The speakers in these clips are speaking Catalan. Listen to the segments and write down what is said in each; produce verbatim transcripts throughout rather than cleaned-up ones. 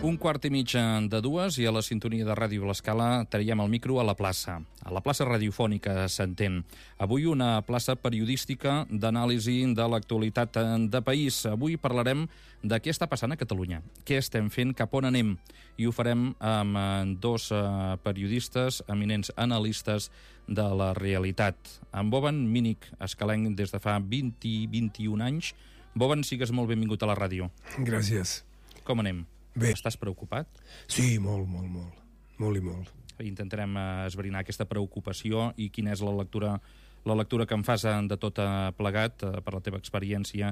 Un quart i mig de dues i a la sintonia de Ràdio l'Escala traiem el micro a la plaça. A la plaça radiofònica s'entén. Avui una plaça periodística d'anàlisi de l'actualitat de país. Avui parlarem de què està passant a Catalunya, què estem fent, cap on anem. I ho farem amb dos periodistes, eminents analistes de la realitat. En Boban Mínic, escalenc des de fa vint i vint-i-un anys. Boban, sigues molt benvingut a la ràdio. Gràcies. Com anem? Bé. Estàs preocupat? Sí, molt, molt, molt. Molt i molt. Intentarem esbrinar aquesta preocupació i quina és la lectura, la lectura que en fas de tot plegat, per la teva experiència,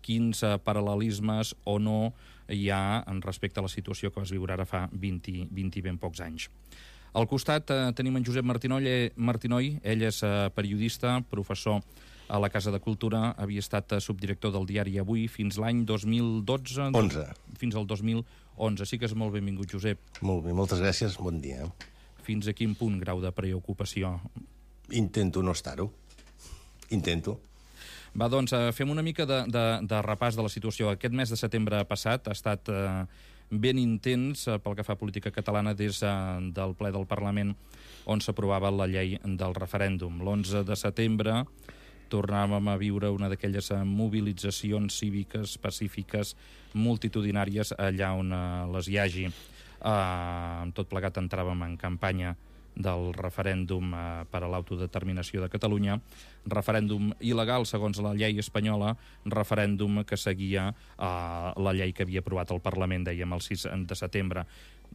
quins paral·lelismes o no hi ha en respecte a la situació que vas viure ara fa vint, vint i ben pocs anys. Al costat eh, tenim en Josep Martinoy, Martinoy, ell és eh, periodista, professor a la Casa de Cultura, havia estat subdirector del diari Avui fins l'any dos mil dotze... onze. Fins al dos mil onze. Sí que és molt benvingut, Josep. Molt bé, moltes gràcies, bon dia. Fins a quin punt grau de preocupació? Intento no estar-ho. Intento. Va, doncs, fem una mica de, de, de repàs de la situació. Aquest mes de setembre passat ha estat eh, ben intens eh, pel que fa a política catalana des eh, del ple del Parlament on s'aprovava la llei del referèndum. L'onze de setembre tornàvem a viure una d'aquelles mobilitzacions cíviques, pacífiques, multitudinàries allà on eh, les hi hagi. Eh, amb tot plegat entràvem en campanya del referèndum eh, per a l'autodeterminació de Catalunya, referèndum il·legal segons la llei espanyola, referèndum que seguia eh, la llei que havia aprovat el Parlament, dèiem, el sis de setembre.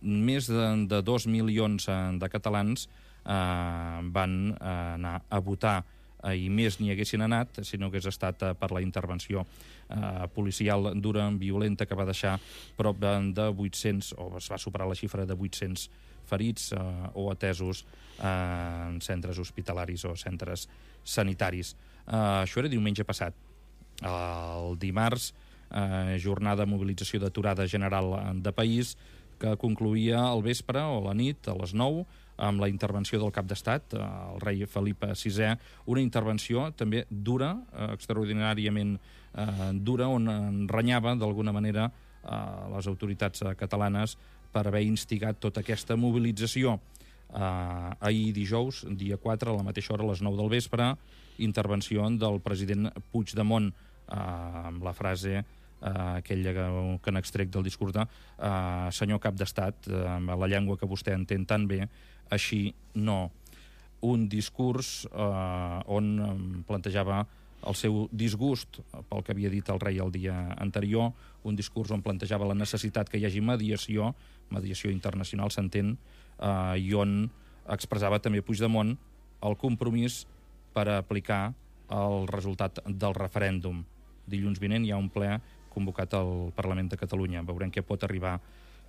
Més de, de dos milions de catalans eh, van eh, anar a votar i més n'hi haguessin anat, si no hagués estat per la intervenció eh, policial dura, violenta, que va deixar prop de, de vuit-cents, o es va superar la xifra de vuit-cents ferits eh, o atesos eh, en centres hospitalaris o centres sanitaris. Eh, això era diumenge passat. El dimarts, eh, jornada de mobilització d'aturada general de país, que concluïa al vespre o a la nit, a les nou, amb la intervenció del cap d'estat, el rei Felip sisè, una intervenció també dura, extraordinàriament eh, dura, on renyava d'alguna manera eh, les autoritats catalanes per haver instigat tota aquesta mobilització. Eh, ahir dijous, dia quatre, a la mateixa hora, a les nou del vespre, intervenció del president Puigdemont, eh, amb la frase Uh, aquella que, que n'extrec del discurs de uh, senyor cap d'estat, uh, amb la llengua que vostè entén tan bé, així no. Un discurs uh, on um, plantejava el seu disgust pel que havia dit el rei el dia anterior, un discurs on plantejava la necessitat que hi hagi mediació, mediació internacional s'entén, uh, i on expressava també Puigdemont el compromís per aplicar el resultat del referèndum. Dilluns vinent hi ha un ple convocat al Parlament de Catalunya. Veurem què pot arribar,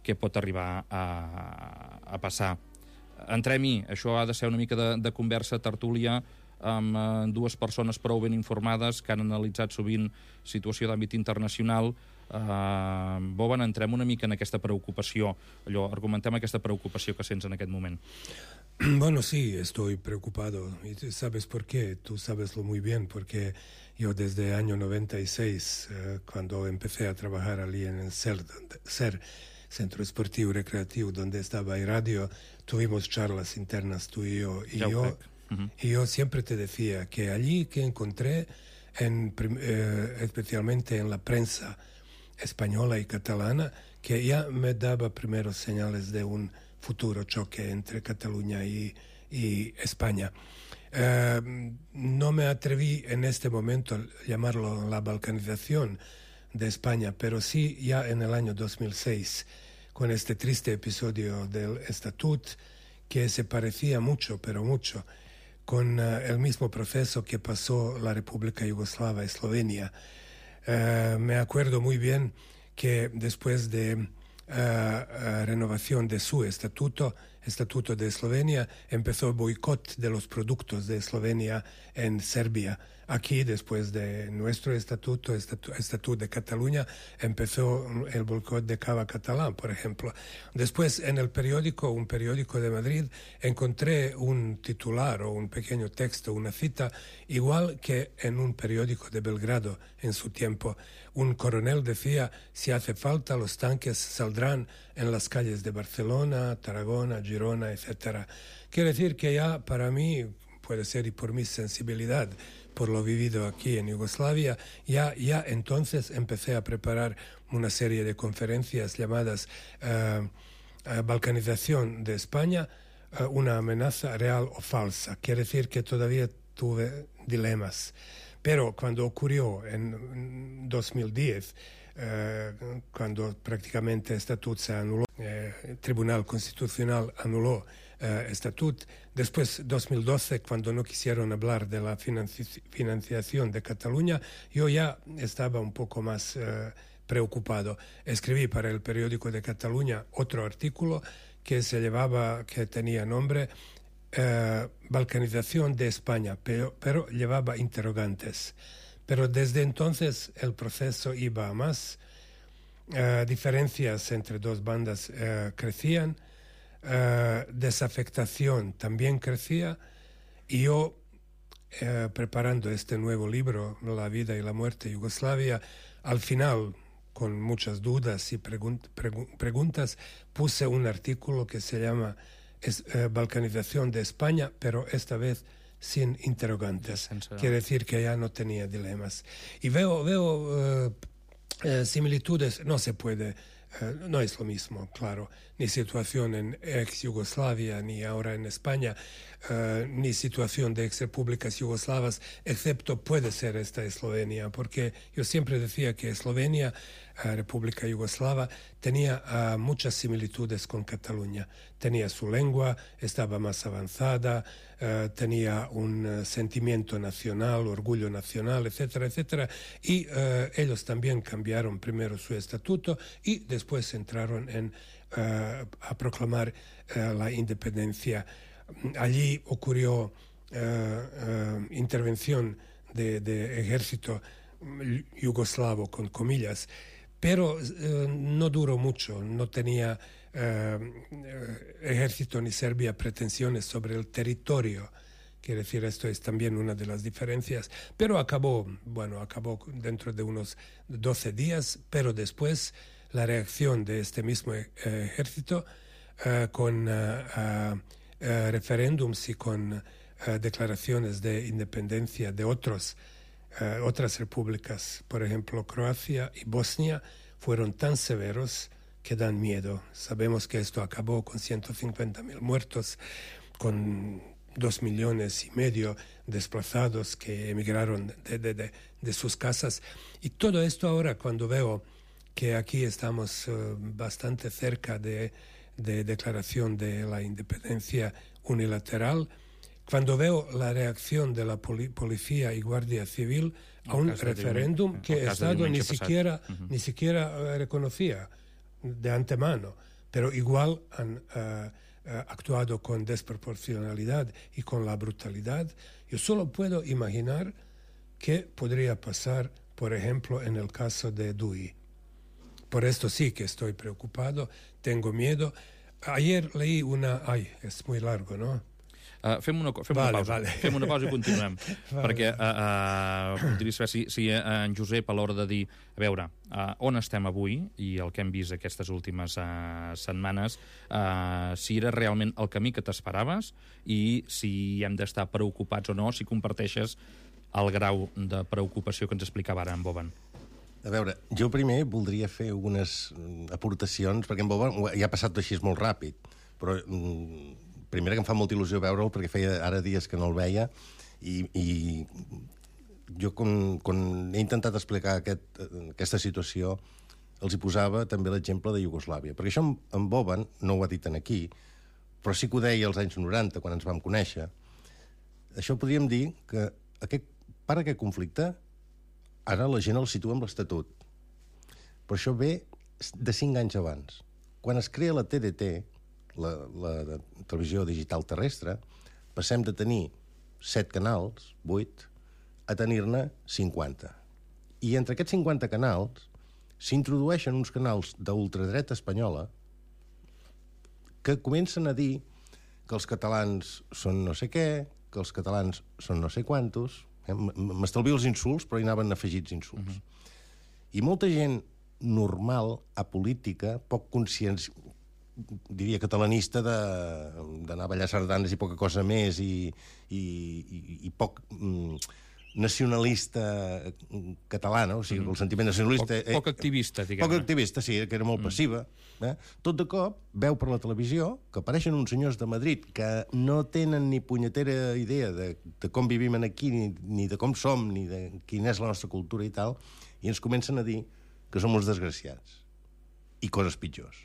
què pot arribar a, a passar. Entrem-hi, això ha de ser una mica de, de conversa, tertúlia, amb eh, dues persones prou ben informades que han analitzat sovint situació d'àmbit internacional. Eh, Boban, entrem una mica en aquesta preocupació. Allò, argumentem aquesta preocupació que sents en aquest moment. Bueno, sí, estoy preocupado. ¿Y tú sabes por qué? Tú sabeslo muy bien, porque yo desde el año noventa y seis, eh, cuando empecé a trabajar allí en el SER, donde, SER, Centro Esportivo Recreativo, donde estaba el radio, tuvimos charlas internas tú y yo. Y, yo, uh-huh. y yo siempre te decía que allí que encontré, en, eh, especialmente en la prensa española y catalana, que ya me daba primeros señales de un futuro choque entre Cataluña y, y España. Eh, no me atreví en este momento a llamarlo la balcanización de España, pero sí ya en el año dos mil seis, con este triste episodio del Estatut, que se parecía mucho, pero mucho, con uh, el mismo proceso que pasó la República Yugoslava, Eslovenia. Eh, me acuerdo muy bien que después de Uh, uh, renovación de su estatuto, Estatuto de Eslovenia, empezó el boicot de los productos de Eslovenia en Serbia. Aquí, después de nuestro estatuto, estatu, estatuto de Cataluña, empezó el boicot de cava catalán, por ejemplo. Después, en el periódico, un periódico de Madrid, encontré un titular o un pequeño texto, una cita, igual que en un periódico de Belgrado en su tiempo. Un coronel decía, si hace falta, los tanques saldrán en las calles de Barcelona, Tarragona, Girona, etcétera. Quiere decir que ya para mí, puede ser y por mi sensibilidad, por lo vivido aquí en Yugoslavia, ya, ya entonces empecé a preparar una serie de conferencias llamadas uh, uh, Balcanización de España, uh, una amenaza real o falsa. Quiere decir que todavía tuve dilemas. Pero cuando ocurrió en dos mil diez, uh, cuando prácticamente el Estatut se anuló, eh, el Tribunal Constitucional anuló Uh, Estatut. Después, dos mil doce, cuando no quisieron hablar de la financi- financiación de Cataluña, yo ya estaba un poco más uh, preocupado. Escribí para el periódico de Cataluña otro artículo que se llevaba, que tenía nombre uh, Balcanización de España, pero, pero llevaba interrogantes. Pero desde entonces el proceso iba a más. Uh, diferencias entre dos bandas uh, crecían. Uh, desafectación también crecía, y yo uh, preparando este nuevo libro, La vida y la muerte de Yugoslavia, al final, con muchas dudas y pregun- pregun- preguntas, puse un artículo que se llama es, uh, Balcanización de España, pero esta vez sin interrogantes. Sense... Quiere decir que ya no tenía dilemas. Y veo, veo uh, uh, similitudes, no se puede. Uh, no es lo mismo, claro, ni situación en ex-Yugoslavia, ni ahora en España, uh, ni situación de ex-repúblicas yugoslavas, excepto puede ser esta Eslovenia, porque yo siempre decía que Eslovenia, uh, República Yugoslava, tenía uh, muchas similitudes con Cataluña. Tenía su lengua, estaba más avanzada, uh, tenía un uh, sentimiento nacional, orgullo nacional, etcétera, etcétera, y uh, ellos también cambiaron primero su estatuto y después Después entraron en, uh, a proclamar uh, la independencia. Allí ocurrió uh, uh, intervención de, de ejército yugoslavo, con comillas, pero uh, no duró mucho. No tenía uh, ejército ni Serbia pretensiones sobre el territorio. Quiere decir, esto es también una de las diferencias. Pero acabó, bueno, acabó dentro de unos doce días, pero después la reacción de este mismo eh, ejército uh, con uh, uh, uh, referéndums y con uh, declaraciones de independencia de otros, uh, otras repúblicas, por ejemplo, Croacia y Bosnia, fueron tan severos que dan miedo. Sabemos que esto acabó con ciento cincuenta mil muertos, con dos millones y medio desplazados que emigraron de, de, de, de sus casas. Y todo esto ahora, cuando veo que aquí estamos uh, bastante cerca de, de declaración de la independencia unilateral, cuando veo la reacción de la poli policía y guardia civil a un referéndum que el Estado ni siquiera, uh-huh. ni siquiera uh, reconocía de antemano, pero igual han uh, uh, actuado con desproporcionalidad y con la brutalidad, yo solo puedo imaginar qué podría pasar, por ejemplo, en el caso de Dui. Por esto sí que estoy preocupado, tengo miedo. Ayer leí una... Ai, és muy largo, no? Uh, fem una, fem vale, una pausa, vale. fem una pausa i continuem. Vale. Perquè uh, uh, voldria saber si, si uh, en Josep, a l'hora de dir, a veure, uh, on estem avui i el que hem vist aquestes últimes uh, setmanes, uh, si era realment el camí que t'esperaves i si hem d'estar preocupats o no, si comparteixes el grau de preocupació que ens explicava ara en Boban. A veure, jo primer voldria fer unes aportacions, perquè en Boban ja ha passat així molt ràpid, però mm, primer que em fa molta il·lusió veure'l, perquè feia ara dies que no el veia, i, i jo, quan, quan he intentat explicar aquest, aquesta situació, els hi posava també l'exemple de Iugoslàvia, perquè això en, en Boban no ho ha dit aquí, però sí que ho deia als anys noranta, quan ens vam conèixer. Això podríem dir que aquest, per aquest conflicte ara la gent el situa amb l'Estatut. Però això ve de cinc anys abans. Quan es crea la T D T, la, la de televisió digital terrestre, passem de tenir set canals, vuit, a tenir-ne cinquanta. I entre aquests cinquanta canals s'introdueixen uns canals d'ultradreta espanyola que comencen a dir que els catalans són no sé què, que els catalans són no sé quantos. Eh? M'estalvio els insults, però hi anaven afegits insults. Uh-huh. I molta gent normal, apolítica, poc conscients, diria catalanista, d'anar a ballar sardanes i poca cosa més, i, i, i, i poc mm, nacionalista català, no? O sigui, el sentiment nacionalista... Poc, poc activista, diguem-ne. Poc activista, sí, que era molt mm. passiva. Eh? Tot de cop veu per la televisió que apareixen uns senyors de Madrid que no tenen ni punyetera idea de, de com vivim aquí, ni, ni de com som, ni de quina és la nostra cultura i tal, i ens comencen a dir que som uns desgraciats i coses pitjors.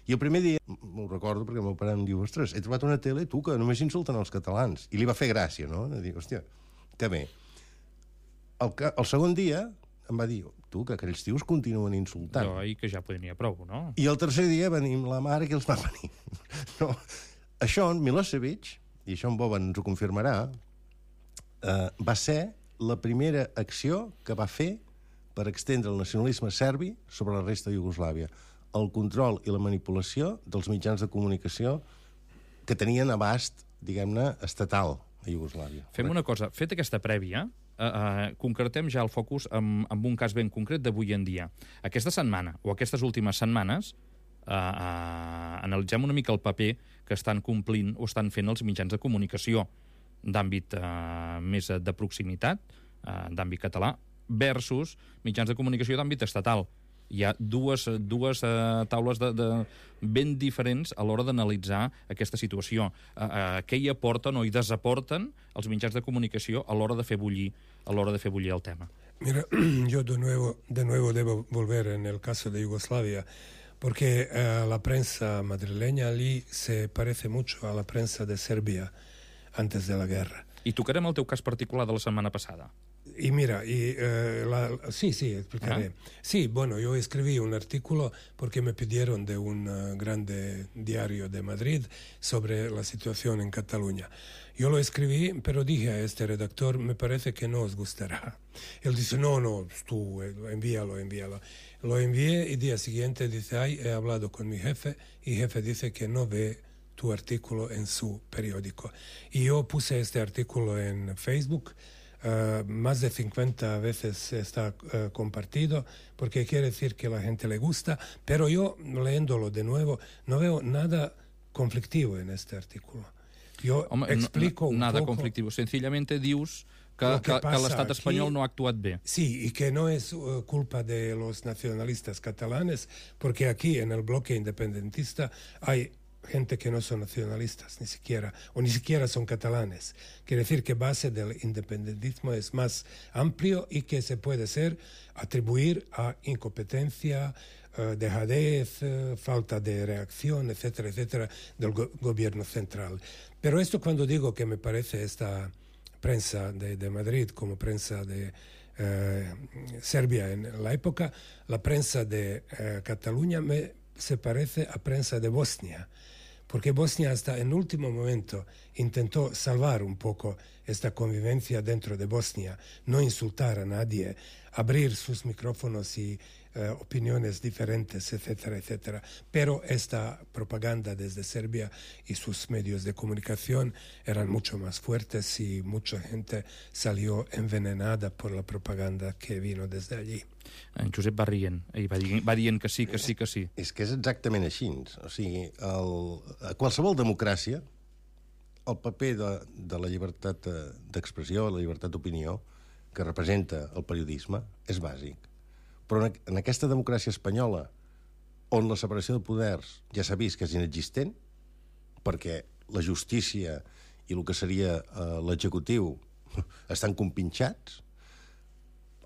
I el primer dia, m'ho recordo perquè el meu pare em diu, ostres, he trobat una tele, tu, que només insulten els catalans. I li va fer gràcia, no? De dir, hòstia, que bé. El, el segon dia em va dir, tu, que aquells tios continuen insultant. No, i que ja podria prou, no? I el tercer dia venim la mare que els va venir. No. Això, en Milosevic, i això en Boba ens ho confirmarà, eh, va ser la primera acció que va fer per extendre el nacionalisme serbi sobre la resta de Iugoslàvia. El control i la manipulació dels mitjans de comunicació que tenien abast, diguem-ne, estatal a Iugoslàvia. Fem una cosa, fet aquesta prèvia, eh, eh, concretem ja el focus amb, amb un cas ben concret d'avui en dia. Aquesta setmana, o aquestes últimes setmanes, eh, eh, analitzem una mica el paper que estan complint o estan fent els mitjans de comunicació d'àmbit eh, més de proximitat, eh, d'àmbit català, versus mitjans de comunicació d'àmbit estatal. Hi ha dues, dues uh, taules de, de ben diferents a l'hora d'analitzar aquesta situació. Uh, uh, què hi aporten o hi desaporten els mitjans de comunicació a l'hora de fer bullir, a l'hora de fer bullir el tema? Mira, yo de nuevo, de nuevo debo volver en el caso de Yugoslavia, porque uh, la prensa madrileña allí se parece mucho a la prensa de Serbia antes de la guerra. I tocarem el teu cas particular de la setmana passada. Y mira, y, uh, la, sí, sí, explicaré. ¿Ah? Sí, bueno, yo escribí un artículo porque me pidieron de un uh, grande diario de Madrid sobre la situación en Cataluña. Yo lo escribí, pero dije a este redactor, me parece que no os gustará. Él dice, no, no, tú envíalo, envíalo. Lo envié y día siguiente dice, ay, he hablado con mi jefe y jefe dice que no ve tu artículo en su periódico. Y yo puse este artículo en Facebook. Uh, más de cincuenta veces está uh, compartido, porque quiere decir que a la gente le gusta, pero yo, leyéndolo de nuevo, no veo nada conflictivo en este artículo. Yo Home, explico no, un nada poco... conflictivo. Sencillamente dius que, que, que l'estat espanyol no ha actuat bé. Sí, y que no es uh, culpa de los nacionalistas catalanes, porque aquí en el bloque independentista hay gente que no son nacionalistas, ni siquiera, o ni siquiera son catalanes. Quiere decir que base del independentismo es más amplio y que se puede ser atribuir a incompetencia, uh, dejadez, uh, falta de reacción, etcétera, etcétera, del go gobierno central. Pero esto cuando digo que me parece esta prensa de, de Madrid como prensa de uh, Serbia en la época, la prensa de uh, Cataluña me, se parece a prensa de Bosnia. Porque Bosnia hasta en último momento intentó salvar un poco esta convivencia dentro de Bosnia, no insultar a nadie, abrir sus micrófonos y uh, opiniones diferentes, etcétera, etcétera. Pero esta propaganda desde Serbia y sus medios de comunicación eran mucho más fuertes y mucha gente salió envenenada por la propaganda que vino desde allí. En Josep va rient, i va, dient, va dient que sí, que sí, que sí. És que és exactament així. O sigui, el, a qualsevol democràcia, el paper de, de la llibertat d'expressió, la llibertat d'opinió, que representa el periodisme, és bàsic. Però en, en aquesta democràcia espanyola, on la separació de poders ja s'ha vist que és inexistent, perquè la justícia i el que seria eh, l'executiu estan compinxats,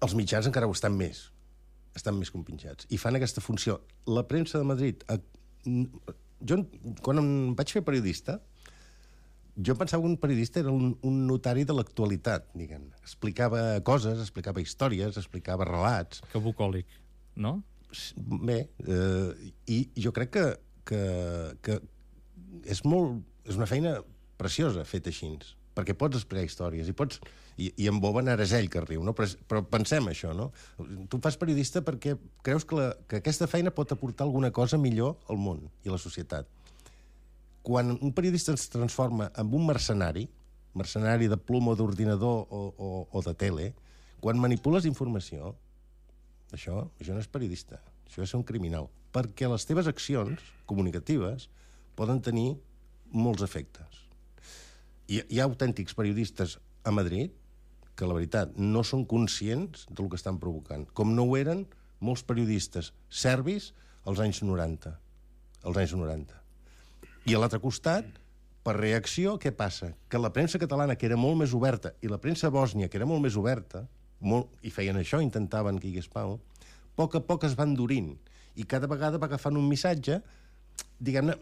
els mitjans encara ho estan més, estan més compinxats, i fan aquesta funció. La premsa de Madrid... A, jo, quan em vaig fer periodista, jo pensava que un periodista era un, un notari de l'actualitat, diguem. Explicava coses, explicava històries, explicava relats... Que bucòlic, no? Bé, eh, i jo crec que, que, que és, molt, és una feina preciosa feta així, perquè pots explicar històries i pots... I, i en Boban ara és ell que riu, no? Però, però pensem això, no? Tu fas periodista perquè creus que, la, que aquesta feina pot aportar alguna cosa millor al món i a la societat. Quan un periodista es transforma en un mercenari, mercenari de ploma o d'ordinador o, o, o de tele, quan manipules informació, això, això no és periodista, això és ser un criminal, perquè les teves accions comunicatives poden tenir molts efectes. Hi, hi ha autèntics periodistes a Madrid que, la veritat, no són conscients del que estan provocant, com no ho eren molts periodistes serbis als anys noranta. Als anys noranta. I a l'altre costat, per reacció, què passa? Que la premsa catalana, que era molt més oberta, i la premsa bòsnia, que era molt més oberta, molt, i feien això, intentaven que hi hagués pau, a poc a poc es van endurint, i cada vegada va agafant un missatge, diguem-ne,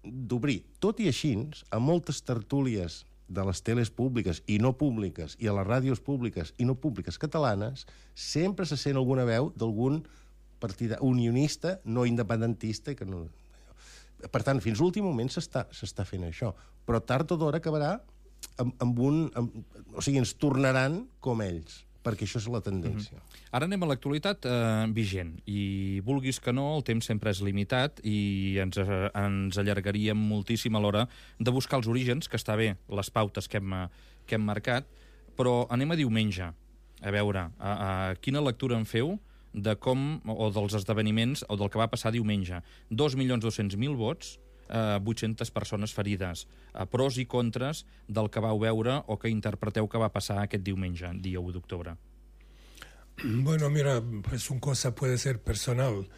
d'obrir. Tot i així, a moltes tertúlies de les teles públiques i no públiques, i a les ràdios públiques i no públiques catalanes, sempre se sent alguna veu d'algun partit unionista, no independentista, que no... Per tant, fins a l'últim moment s'està s'està fent això. Però tard o d'hora acabarà amb, amb un... Amb, o sigui, ens tornaran com ells, perquè això és la tendència. Mm-hmm. Ara anem a l'actualitat eh, vigent, i vulguis que no, el temps sempre és limitat i ens, eh, ens allargaríem moltíssim a l'hora de buscar els orígens, que està bé, les pautes que hem, que hem marcat, però anem a diumenge, a veure, a, a quina lectura en feu de com, o dels esdeveniments, o del que va passar diumenge. dos milions dos-cents mil vots, eh, vuit-centes persones ferides, eh, pros i contres del que vau veure o que interpreteu que va passar aquest diumenge, dia u d'octubre. Bueno, mira, pues una cosa puede ser personal,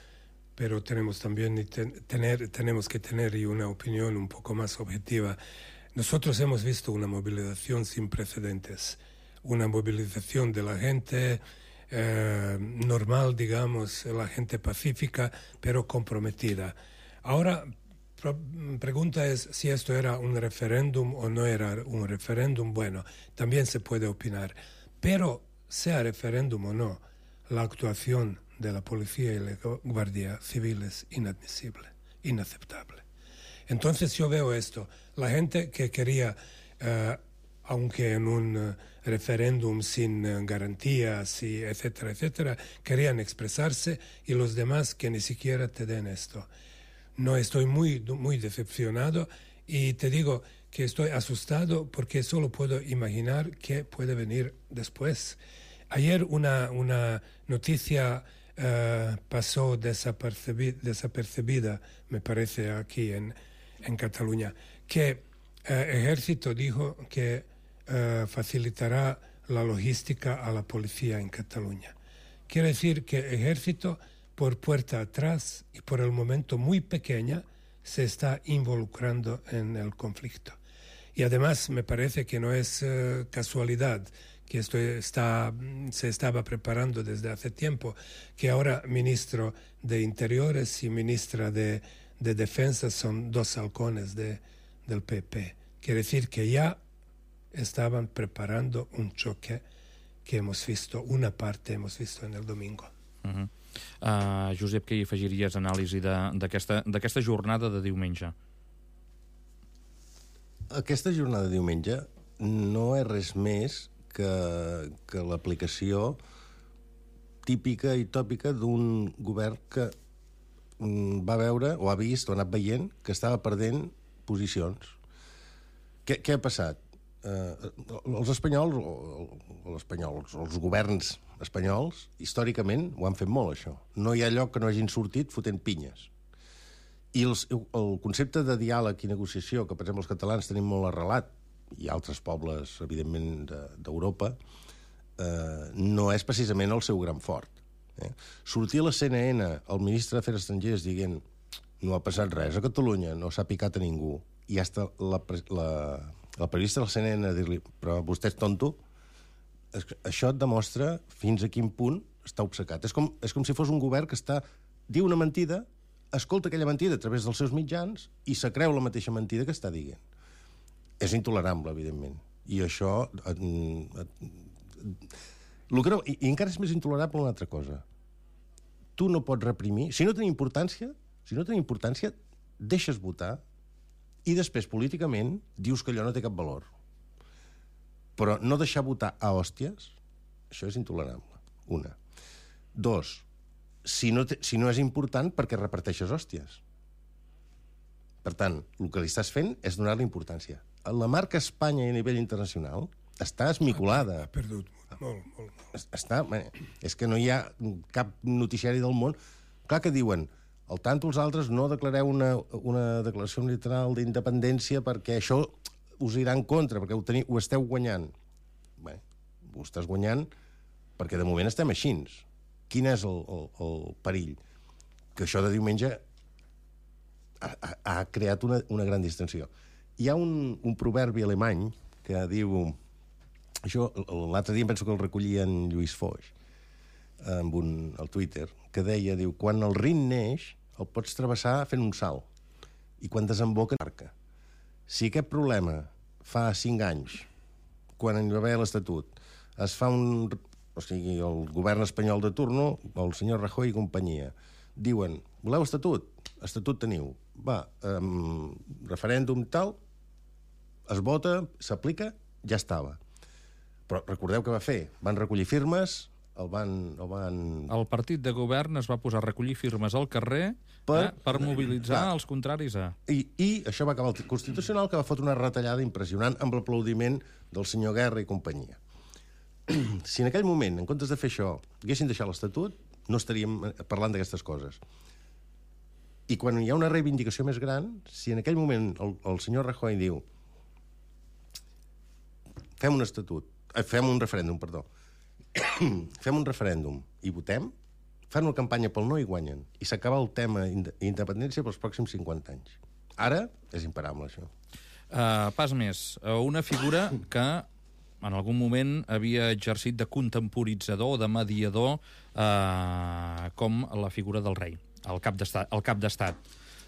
pero tenemos también tener, tenemos que tener una opinión un poco más objetiva. Nosotros hemos visto una movilización sin precedentes, una movilización de la gente eh, normal, digamos, la gente pacífica, pero comprometida. Ahora, la pregunta es si esto era un referéndum o no era un referéndum. Bueno, también se puede opinar, pero sea referéndum o no, la actuación de la policía y la Guardia Civil es inadmisible, inaceptable. Entonces yo veo esto, la gente que quería, eh, aunque en un uh, referéndum sin uh, garantías, y etcétera, etcétera, querían expresarse, y los demás que ni siquiera te den esto. No, estoy muy, muy decepcionado, y te digo que estoy asustado porque solo puedo imaginar qué puede venir después. Ayer una, una noticia uh, pasó desapercibida, desapercibida, me parece, aquí en, en Cataluña, que el uh, Ejército dijo que uh, facilitará la logística a la policía en Cataluña. Quiere decir que el Ejército, por puerta atrás y por el momento muy pequeña, se está involucrando en el conflicto. Y además me parece que no es uh, casualidad que esto está, se estaba preparando desde hace tiempo, que ahora ministro de Interiores y ministra de, de Defensa son dos halcones de, del P P. Quiere decir que ya estaban preparando un choque que hemos visto, una parte hemos visto en el domingo. Uh-huh. uh, Josep, què hi afegiries anàlisi d'aquesta jornada de diumenge? Aquesta jornada de diumenge no és res més que, que l'aplicació típica i tòpica d'un govern que va veure, o ha vist, o ha anat veient, que estava perdent posicions. Què, què ha passat? Eh, els espanyols, o, o espanyols, els governs espanyols, històricament ho han fet molt, això. No hi ha lloc que no hagin sortit fotent pinyes. I els, el concepte de diàleg i negociació, que per exemple els catalans tenim molt arrelat, i altres pobles, evidentment, d'Europa, eh, no és precisament el seu gran fort. Eh? Sortir a la C N N el ministre d'Afers Estrangers dient no ha passat res a Catalunya, no s'ha picat a ningú, i hasta la, la, la periodista de la C N N dir-li però vostè és tonto, això et demostra fins a quin punt està obcecat. És com, és com si fos un govern que està, diu una mentida, escolta aquella mentida a través dels seus mitjans i se creu la mateixa mentida que està dient. És intolerable, evidentment. I això... Eh, eh, que no, i, I encara és més intolerable una altra cosa. Tu no pots reprimir... Si no tenen importància, si no tenen importància, deixes votar I després, políticament, dius que allò no té cap valor. Però no deixar votar a hòsties, això és intolerable. Una. Dos, si no, te, si no és important, per què reparteixes hòsties? Per tant, el que li estàs fent és donar-li importància. La marca Espanya a nivell internacional està esmicolada. Ha perdut molt, molt, molt. Està, és que no hi ha cap noticiari del món. Clar que diuen, al tanto els altres no declareu una, una declaració unilateral d'independència perquè això us irà en contra, perquè ho, teniu, ho esteu guanyant. Bé, ho estàs guanyant perquè de moment estem així. Quin és el, el, el perill? Que això de diumenge ha, ha, ha creat una, una gran distensió. Hi ha un, un proverbi alemany que diu... Això, l'altre dia em penso que el recollia en Lluís Foix, amb un, al Twitter, que deia, diu, quan el Rin neix, el pots travessar fent un salt, i quan desemboca, marca. Si aquest problema fa cinc anys, quan hi va haver l'Estatut, es fa un... O sigui, el govern espanyol de turno, el senyor Rajoy i companyia, diuen, voleu estatut? Estatut teniu. Va, um, referèndum tal, es vota, s'aplica, ja estava. Però recordeu què va fer? Van recollir firmes, el van... El, van... el partit de govern es va posar a recollir firmes al carrer per, eh, per mobilitzar clar. els contraris a... I, I això va acabar el Constitucional, que va fotre una retallada impressionant amb l'aplaudiment del senyor Guerra i companyia. Si en aquell moment, en comptes de fer això, haguessin deixat l'Estatut, no estaríem parlant d'aquestes coses. I quan hi ha una reivindicació més gran, si en aquell moment el, el senyor Rajoy diu fem un estatut, eh, fem un referèndum, perdó, fem un referèndum i votem, fan una campanya pel no i guanyen. I s'acaba el tema independència pels pròxims cinquanta anys. Ara és imparable, això. Uh, pas més, uh, una figura que en algun moment havia exercit de contemporitzador o de mediador eh, com la figura del rei, el cap d'estat. El cap d'estat.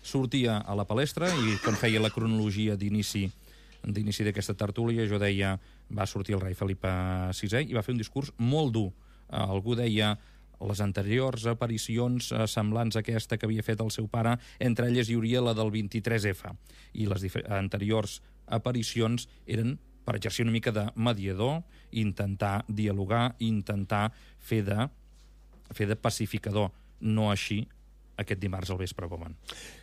Sortia a la palestra i quan feia la cronologia d'inici d'inici d'aquesta tertúlia, jo deia, va sortir el rei Felip sisè i va fer un discurs molt dur. Eh, algú deia les anteriors aparicions eh, semblants a aquesta que havia fet el seu pare, entre elles hi hauria la del vint-i-tres efa, i les anteriors aparicions eren per exercir una mica de mediador, intentar dialogar, intentar fer de, fer de pacificador, no així aquest dimarts al vespre, Boman.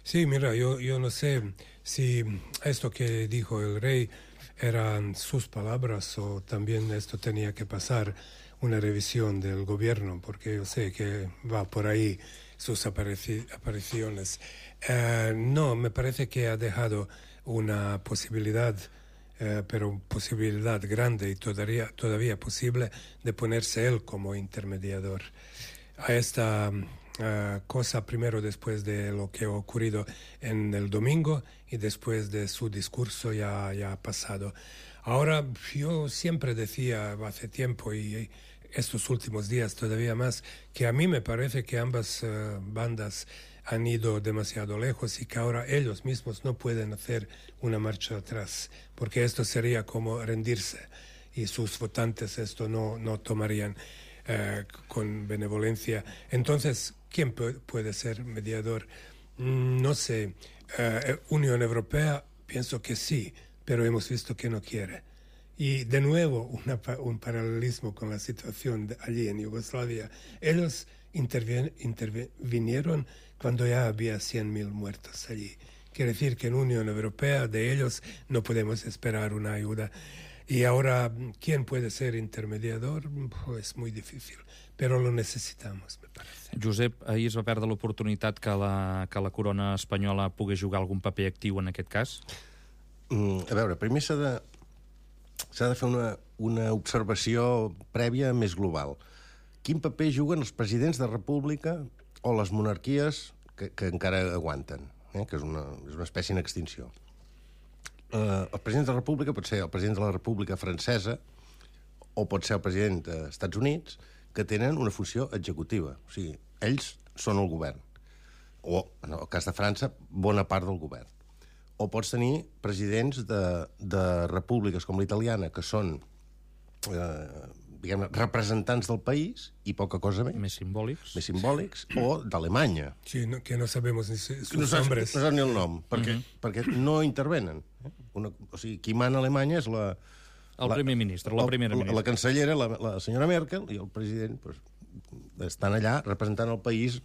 Sí, mira, yo, yo no sé si esto que dijo el rey eran sus palabras o también esto tenía que pasar una revisión del gobierno, porque yo sé que va por ahí sus aparici- apariciones. Eh, no, me parece que ha dejado una posibilidad Eh, pero posibilidad grande y todavía, todavía posible de ponerse él como intermediador a esta uh, cosa, primero después de lo que ha ocurrido en el domingo y después de su discurso ya, ya pasado. Ahora, yo siempre decía hace tiempo y estos últimos días todavía más, que a mí me parece que ambas uh, bandas han ido demasiado lejos y que ahora ellos mismos no pueden hacer una marcha atrás, porque esto sería como rendirse y sus votantes esto no, no tomarían eh, con benevolencia. Entonces, ¿quién puede ser mediador? No sé. Eh, Unión Europea, pienso que sí, pero hemos visto que no quiere. Y de nuevo, una, un paralelismo con la situación de allí en Yugoslavia. Ellos intervien, intervinieron cuando ya había cien mil muertos allí. Quiere decir que en Unión Europea de ellos no podemos esperar una ayuda. Y ahora, ¿quién puede ser intermediador? Pues muy difícil, pero lo necesitamos, me parece. Josep, ahir es va perdre l'oportunitat que la, que la corona espanyola pogués jugar algun paper actiu en aquest cas? Mm, a veure, primer s'ha de, s'ha de fer una, una observació prèvia més global. Quin paper juguen els presidents de república o les monarquies que, que encara aguanten, eh? Que és una, és una espècie en extinció. Uh, el president de la república pot ser el president de la república francesa o pot ser el president dels Estats Units, que tenen una funció executiva. O sigui, ells són el govern. O, en el cas de França, bona part del govern. O pots tenir presidents de, de repúbliques com l'italiana, que són, eh, diguem-ne, representants del país i poca cosa més. Més simbòlics. Més simbòlics, o d'Alemanya. Sí, no, que no sabemos ni sus no saps, nombres. No saps ni el nom, perquè, uh -huh. perquè no intervenen. Una, o sigui, qui mana a Alemanya és la... El la, primer ministre, la primera ministra. La, la cancellera, la, la senyora Merkel, i el president pues, estan allà representant el país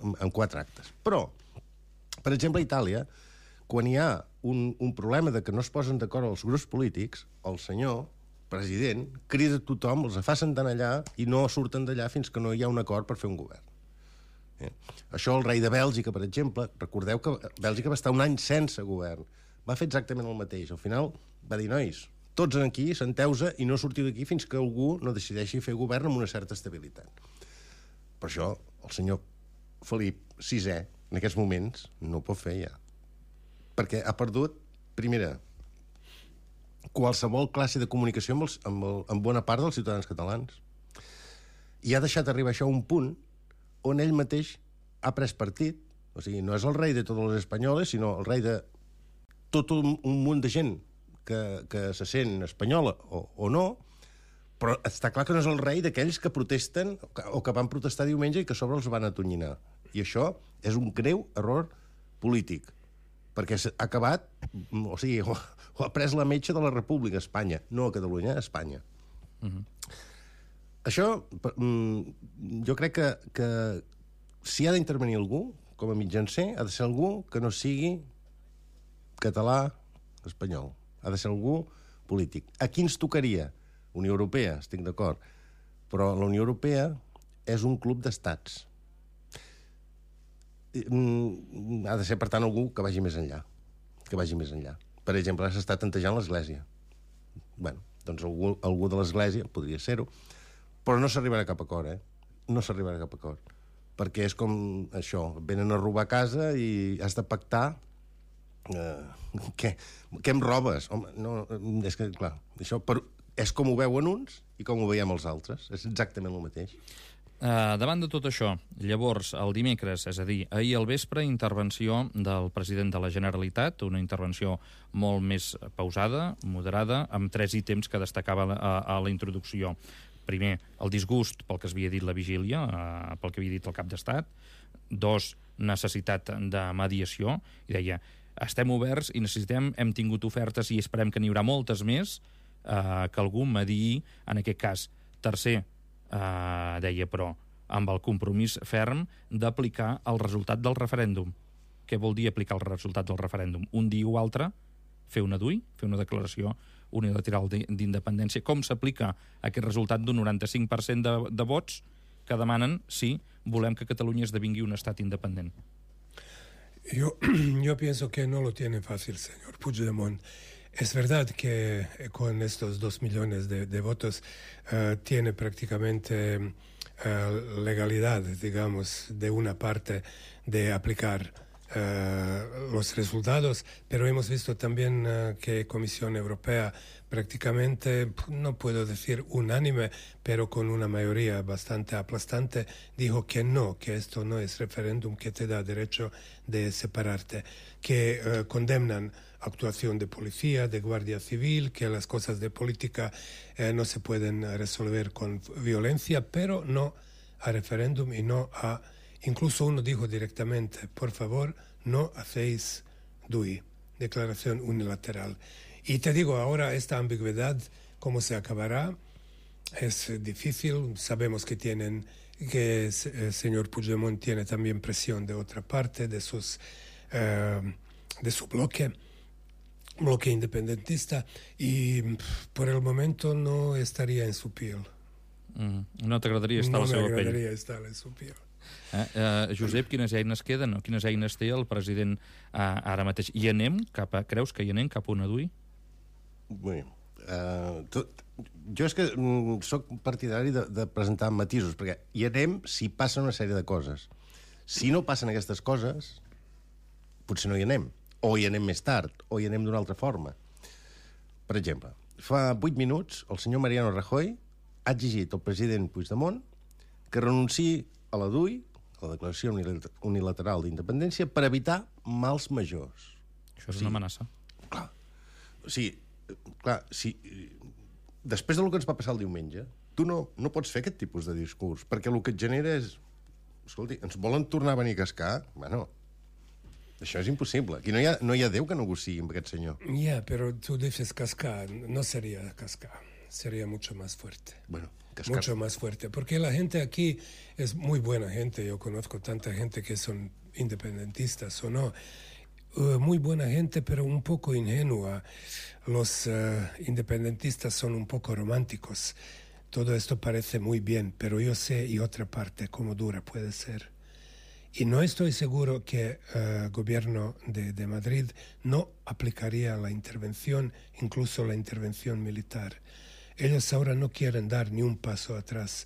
en, en quatre actes. Però, per exemple, a Itàlia, quan hi ha un, un problema de que no es posen d'acord els grups polítics, el senyor president crida tothom, els fa sentar allà i no surten d'allà fins que no hi ha un acord per fer un govern. Eh? Això el rei de Bèlgica, per exemple, recordeu que Bèlgica va estar un any sense govern. Va fer exactament el mateix. Al final va dir, nois, tots aquí, senteu-se i no sortiu d'aquí fins que algú no decideixi fer govern amb una certa estabilitat. Per això el senyor Felip sisè, en aquests moments, no ho pot fer ja. Perquè ha perdut, primera, qualsevol classe de comunicació amb, els, amb, el, amb bona part dels ciutadans catalans. I ha deixat arribar això a un punt on ell mateix ha pres partit. O sigui, no és el rei de tots els espanyoles, sinó el rei de tot un, un munt de gent que, que se sent espanyola o, o no, però està clar que no és el rei d'aquells que protesten o que, o que van protestar diumenge i que a sobre els van atonyinar. I això és un greu error polític, perquè ha acabat, o sigui, ho, ho ha pres la metxa de la República, Espanya, no a Catalunya, a Espanya. Uh-huh. Això, jo crec que, que si ha d'intervenir algú, com a mitjancer, ha de ser algú que no sigui català, espanyol. Ha de ser algú polític. A qui ens tocaria? Unió Europea, estic d'acord. Però la Unió Europea és un club d'estats. Ha de ser, per tant, algú que vagi més enllà. Que vagi més enllà. Per exemple, s'està tantejant l'Església. Bé, doncs algú, algú de l'Església podria ser-ho, però no s'arribarà a cap acord, eh? No s'arribarà a cap acord. Perquè és com això, venen a robar casa i has de pactar. Uh, què? Què em robes? Home, no, és que, clar, això per, és com ho veuen uns i com ho veiem els altres. És exactament el mateix. Uh, davant de tot això, llavors, el dimecres, és a dir, ahir al vespre, intervenció del president de la Generalitat, una intervenció molt més pausada, moderada, amb tres ítems que destacava a, a la introducció. Primer, el disgust pel que es havia dit la vigília, uh, pel que havia dit el cap d'Estat. Dos, necessitat de mediació. I deia, estem oberts i necessitem, hem tingut ofertes i esperem que n'hi haurà moltes més, eh, que algú mediï en aquest cas. Tercer, eh, deia, però, amb el compromís ferm d'aplicar el resultat del referèndum. Què vol dir aplicar el resultat del referèndum? Un dia o altre, fer una D U I, fer una declaració unilateral d'independència. Com s'aplica aquest resultat d'un noranta-cinc per cent de, de vots que demanen si volem que Catalunya esdevingui un estat independent? Yo, yo pienso que no lo tiene fácil, señor Puigdemont. Es verdad que con estos dos millones de, de votos uh, tiene prácticamente uh, legalidad, digamos, de una parte de aplicar uh, los resultados, pero hemos visto también uh, que Comisión Europea prácticamente, no puedo decir unánime, pero con una mayoría bastante aplastante, dijo que no, que esto no es referéndum que te da derecho de separarte, que uh, condenan actuación de policía, de guardia civil, que las cosas de política eh, no se pueden resolver con violencia, pero no a referéndum y no a... Incluso uno dijo directamente, por favor, no hacéis D U I, declaración unilateral. Y te digo, ahora esta ambigüedad, ¿cómo se acabará? Es difícil, sabemos que tienen, que el señor Puigdemont tiene también presión de otra parte, de, sus, eh, de su bloque, bloque independentista, y por el momento no estaría en su piel. Mm, no t'agradaria estar no a la seva pell? No m'agradaria estar en su piel. Eh, eh, Josep, quines eines queden? No? Quines eines té el president eh, ara mateix? I anem cap a, creus que hi anem cap a una D U I? Bé, uh, tot, jo és que mm, soc partidari de, de presentar matisos, perquè hi anem si passa una sèrie de coses. Si no passen aquestes coses, potser no hi anem. O hi anem més tard, o hi anem d'una altra forma. Per exemple, fa vuit minuts el senyor Mariano Rajoy ha exigit al president Puigdemont que renunciï a la D U I, a la declaració unilateral d'independència, per evitar mals majors. Això és una amenaça. Clar, o sigui, clar, si, després del que ens va passar el diumenge, tu no, no pots fer aquest tipus de discurs, perquè el que et genera és... Escolti, ens volen tornar a venir a cascar? Bueno, això és impossible. Aquí no hi ha, no hi ha Déu que negociï amb aquest senyor. Ya, yeah, pero tú dices cascar, no sería cascar, sería mucho más fuerte. Bueno, cascar. Mucho más fuerte, porque la gente aquí es muy buena gente, yo conozco tanta gente que son independentistas o no, uh, muy buena gente, pero un poco ingenua. Los uh, independentistas son un poco románticos. Todo esto parece muy bien, pero yo sé y otra parte cómo dura puede ser. Y no estoy seguro que el uh, gobierno de, de Madrid no aplicaría la intervención, incluso la intervención militar. Ellos ahora no quieren dar ni un paso atrás.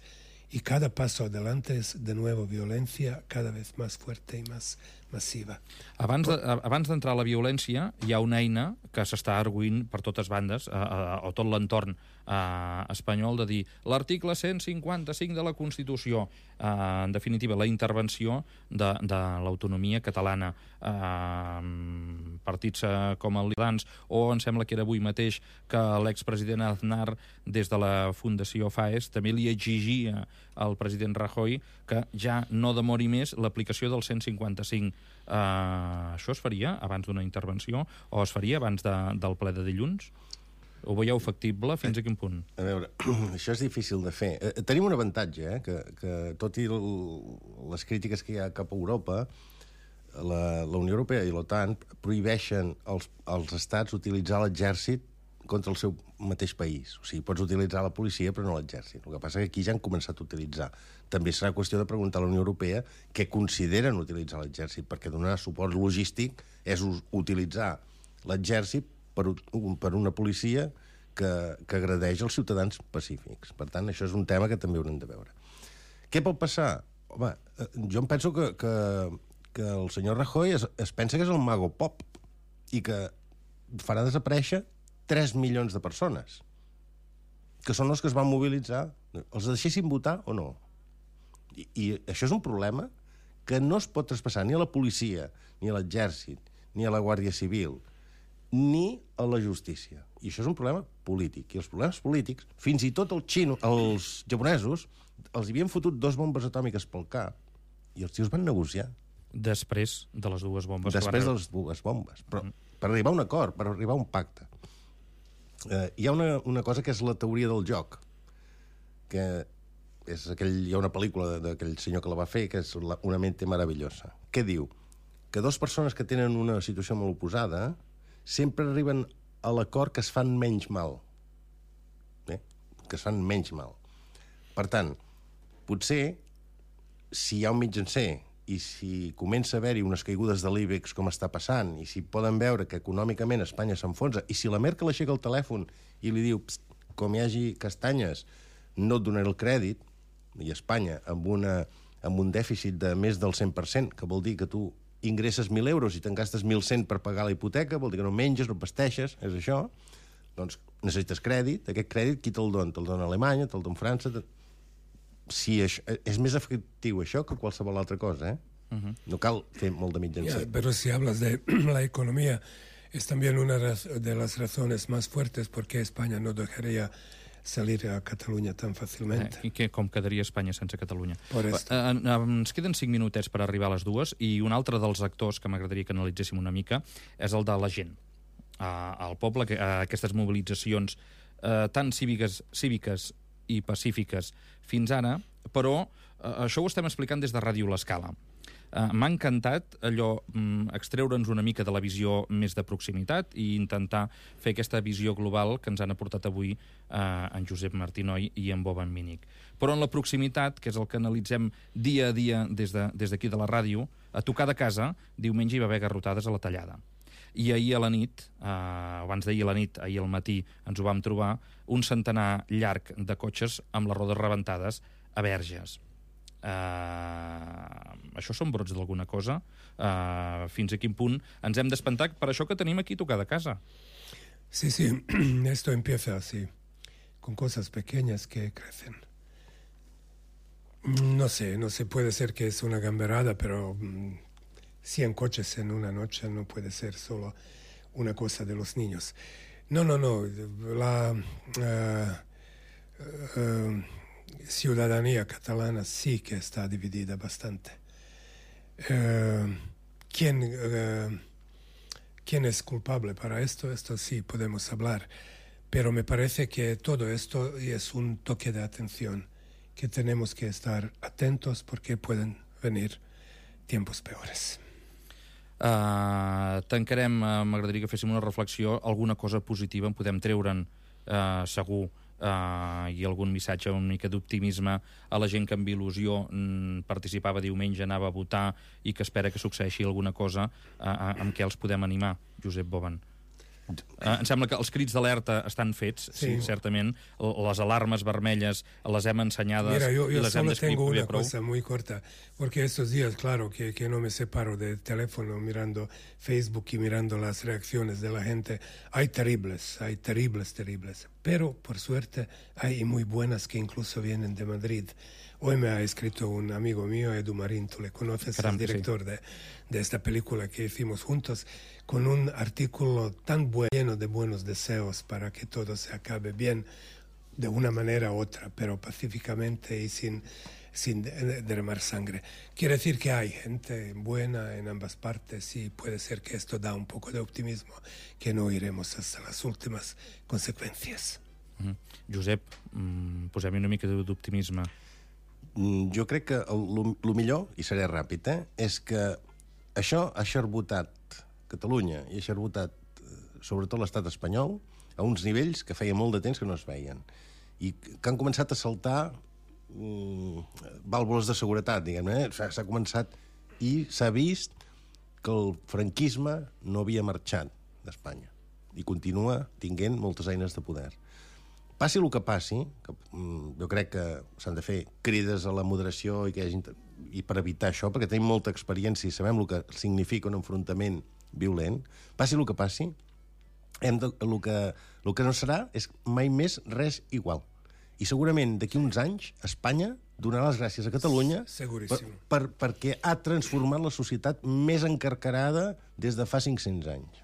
Y cada paso adelante es de nuevo violencia cada vez más fuerte y más massiva. Abans de, abans d'entrar a la violència, hi ha una eina que s'està arguint per totes bandes, a, a, a tot l'entorn a, espanyol, de dir l'article cent cinquanta-cinc de la Constitució, a, en definitiva, la intervenció de, de l'autonomia catalana. A, partits a, com el Lidans, o em sembla que era avui mateix que l'expresident Aznar, des de la Fundació FAES, també li exigia al president Rajoy que ja no demori més l'aplicació del cent cinquanta-cinc. Uh, això es faria abans d'una intervenció o es faria abans de, del ple de dilluns? Ho veieu factible? Fins a quin punt? A veure, això és difícil de fer. Eh, tenim un avantatge, eh, que, que tot i el, les crítiques que hi ha cap a Europa, la, la Unió Europea i l'OTAN prohibeixen als, als estats utilitzar l'exèrcit contra el seu mateix país. O sigui, pots utilitzar la policia però no l'exèrcit. El que passa és que aquí ja han començat a utilitzar. També serà qüestió de preguntar a la Unió Europea què consideren utilitzar l'exèrcit, perquè donar suport logístic és utilitzar l'exèrcit per, per una policia que, que agredeix els ciutadans pacífics. Per tant, això és un tema que també haurem de veure. Què pot passar? Home, jo em penso que, que, que el senyor Rajoy es, es pensa que és el mago pop i que farà desaparèixer tres milions de persones, que són els que es van mobilitzar. Els deixessin votar o no? I, i això és un problema que no es pot traspassar ni a la policia, ni a l'exèrcit, ni a la Guàrdia Civil, ni a la justícia. I això és un problema polític. I els problemes polítics, fins i tot els xinos, els japonesos, els havien fotut dos bombes atòmiques pel cap i els tios van negociar. Després de les dues bombes. Després de les dues bombes. Però mm. per arribar a un acord, per arribar a un pacte. Eh, hi ha una, una cosa que és la teoria del joc, que és aquell, hi ha una pel·lícula d'aquell senyor que la va fer, que és la, Una mente maravillosa. Què diu? Que dues persones que tenen una situació molt oposada sempre arriben a l'acord que es fan menys mal. Eh? Que es fan menys mal. Per tant, potser, si hi ha un mitjancer i si comença a haver-hi unes caigudes de l'IBEX com està passant, i si poden veure que econòmicament Espanya s'enfonsa, i si la Merkel aixeca el telèfon i li diu, com hi hagi castanyes, no et donaré el crèdit, i Espanya amb, una, amb un dèficit de més del cent per cent, que vol dir que tu ingresses mil euros i te'n gastes mil cent per pagar la hipoteca, vol dir que no menges, no pasteixes, és això, doncs necessites crèdit, aquest crèdit qui te'l dona? Te'l dona Alemanya, te'l dona França... Te... Sí, això, és més efectiu això que qualsevol altra cosa, eh? Uh-huh. No cal fer molt de mitjancer. Yeah, pero si hablas de la economía, es también una de las razones más fuertes por qué España no dejaría salir a Catalunya tan fàcilment. Eh, I que, com quedaria Espanya sense Catalunya? Por esto. Eh, eh, ens queden cinc minutets per arribar a les dues i un altre dels actors que m'agradaria que analitzéssim una mica és el de la gent. Eh, al poble, que, eh, aquestes mobilitzacions eh, tan cíviques, cíviques i pacífiques fins ara, però eh, això ho estem explicant des de Ràdio L'Escala. Uh, M'ha encantat allò, um, extreure'ns una mica de la visió més de proximitat i intentar fer aquesta visió global que ens han aportat avui uh, en Josep Martinoy i en Boban Mínic. Però en la proximitat, que és el que analitzem dia a dia des de, des d'aquí de la ràdio, a tocar de casa, diumenge hi va haver garrotades a la Tallada. I ahir a la nit, uh, abans d'ahir a la nit, ahir al matí, ens ho vam trobar, un centenar llarg de cotxes amb les rodes rebentades a Verges. Uh, això són brots d'alguna cosa? Uh, fins a quin punt ens hem d'espantar per això que tenim aquí a tocar de casa? Sí, sí, esto empieza así, con cosas pequeñas que crecen. No sé, no sé, puede ser que es una gamberada, pero um, cien coches en una noche no puede ser solo una cosa de los niños. No, no, no, la... Uh, uh, ciudadanía catalana sí que está dividida bastante. Eh, ¿quién, eh, ¿Quién es culpable para esto? Esto sí podemos hablar. Pero me parece que todo esto es un toque de atención, que tenemos que estar atentos porque pueden venir tiempos peores. Uh, tancarem, uh, m'agradaria que féssim una reflexió, alguna cosa positiva en podem treure'n, uh, segur, uh, i algun missatge, una mica d'optimisme a la gent que amb il·lusió mm, participava diumenge, anava a votar i que espera que succeeixi alguna cosa uh, amb què els podem animar, Josep Boven. Uh, em sembla que els crits d'alerta estan fets, sí, sí certament. Les alarmes vermelles les hem ensenyades. Mira, yo, yo y les solo hem tengo una prou. cosa muy corta, porque estos días, claro, que, que no me separo del teléfono mirando Facebook y mirando las reacciones de la gente. Hay terribles, hay terribles, terribles. Pero, por suerte, hay muy buenas que incluso vienen de Madrid. Hoy me ha escrito un amigo mío, Edu Marín, tú le conoces, el director sí. de, de esta película que hicimos juntos, con un artículo tan bueno, lleno de buenos deseos para que todo se acabe bien, de una manera u otra, pero pacíficamente y sin, sin derramar sangre. Quiere decir que hay gente buena en ambas partes y puede ser que esto da un poco de optimismo, que no iremos hasta las últimas consecuencias. Mm. Josep, mm, posem-hi una mica d'optimisme. Jo crec que el, el millor, i seré ràpid, eh, és que això ha xerbotat Catalunya i ha xerbotat sobretot l'estat espanyol a uns nivells que feia molt de temps que no es veien i que han començat a saltar mm, vàlvules de seguretat, diguem-ne. Eh? S'ha començat i s'ha vist que el franquisme no havia marxat d'Espanya i continua tinguent moltes eines de poder. Passi el que passi, que, mm, jo crec que s'han de fer crides a la moderació i, que hi hagi, i per evitar això, perquè tenim molta experiència i sabem el que significa un enfrontament violent, passi el que passi, hem de, el, que, el que no serà és mai més res igual. I segurament d'aquí uns anys Espanya donarà les gràcies a Catalunya per, per, perquè ha transformat la societat més encarcarada des de fa cinc-cents anys.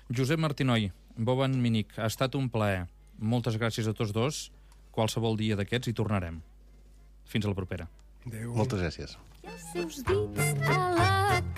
Josep Martinoy, Boven Minic, ha estat un plaer. Moltes gràcies a tots dos. Qualsevol dia d'aquests hi tornarem. Fins a la propera. Adéu. Moltes gràcies. I els seus dits a la carn